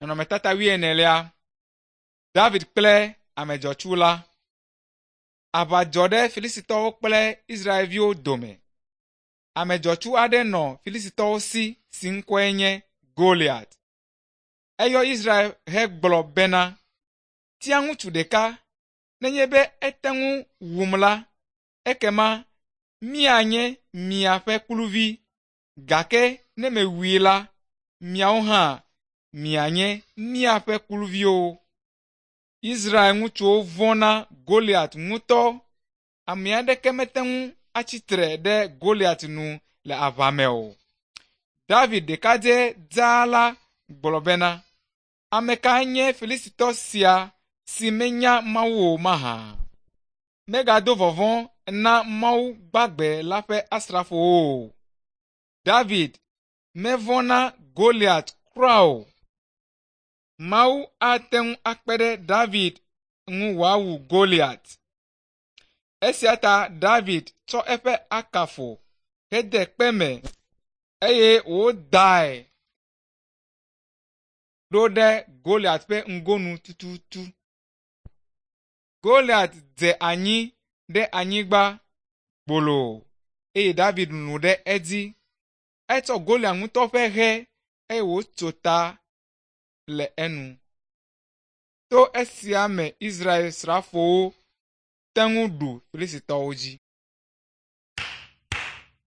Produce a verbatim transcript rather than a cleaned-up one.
Nɔnɔmetata wuienelia. David kple ame dzɔtsu la. Aʋa dzɔ ɖe Filistitɔwo kple Israelviwo dome. Ame dzɔtsu aɖe nɔ Filistitɔwo si si ŋkɔe nye Goliat. Eyɔ Israel hegblɔ bena, “Tia ŋutsu ɖeka, nenye be ete ŋu wum la, ekema míanye miaƒe kluvi gake ne mewui la, miawo hã mianye míaƒe kluviwo.” Israel ŋutsuwo vɔ̃ na Goliat ŋutɔ. Ame aɖeke mete ŋu atsi tre ɖe Goliat nu le aʋa me o. David ɖekadze dzaa la gblɔ bena, “Ame kae nye Filistitɔ sia si menya Mawu o mahã? Megado vɔvɔ̃ na Mawu gbagbe la ƒe asrafowo o.” David mevɔ̃ na Goliat kura o. Mawu ate ŋu akpe ɖe David ŋu wòawu Goliat. Esia ta David tsɔ eƒe akafo hede kpe me eye wòdae ɖo ɖe Goliat ƒe ŋgonu tututu. Goliat dze anyi ɖe anyigba gboloo eye David lũ ɖe edzi. Etsɔ Goliat ŋutɔ ƒe hɛ eye wòtso ta le enu. To esia me Israel srafowo te ŋu ɖu Filistitɔwo dzi.